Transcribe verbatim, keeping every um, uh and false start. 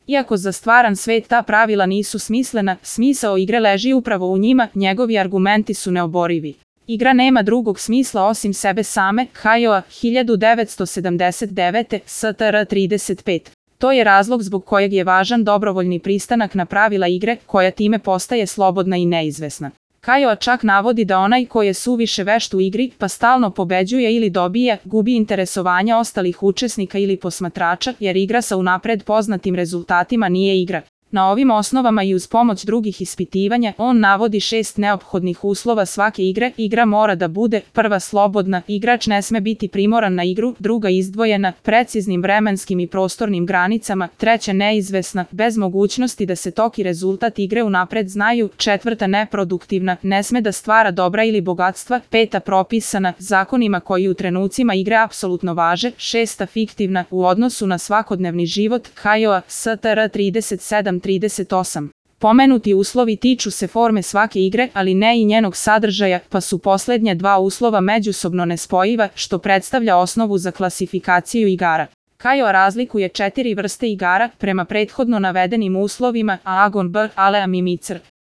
Iako za stvaran svet ta pravila nisu smislena, smisao igre leži upravo u njima, njegovi argumenti su neoborivi. Igra nema drugog smisla osim sebe same, Hayao, hiljadu devetsto sedamdeset devete. S T R trideset pet. To je razlog zbog kojeg je važan dobrovoljni pristanak na pravila igre, koja time postaje slobodna i neizvesna. Hayao čak navodi da onaj ko je suviše vešt u igri, pa stalno pobeđuje ili dobija, gubi interesovanje ostalih učesnika ili posmatrača, jer igra sa unapred poznatim rezultatima nije igra. Na ovim osnovama i uz pomoć drugih ispitivanja, on navodi šest neophodnih uslova svake igre. Igra mora da bude: prva, slobodna, igrač ne sme biti primoran na igru; druga, izdvojena, preciznim vremenskim i prostornim granicama; treća, neizvesna, bez mogućnosti da se tok i rezultat igre unapred znaju; četvrta, neproduktivna, ne sme da stvara dobra ili bogatstva; peta, propisana, zakonima koji u trenucima igre apsolutno važe; šesta, fiktivna, u odnosu na svakodnevni život. Hayao, S T R trideset sedam trideset osam. Pomenuti uslovi tiču se forme svake igre, ali ne i njenog sadržaja, pa su poslednja dva uslova međusobno nespojiva, što predstavlja osnovu za klasifikaciju igara. Hayao razlikuje četiri vrste igara prema prethodno navedenim uslovima: a, agon, b, ale, a, mimicr.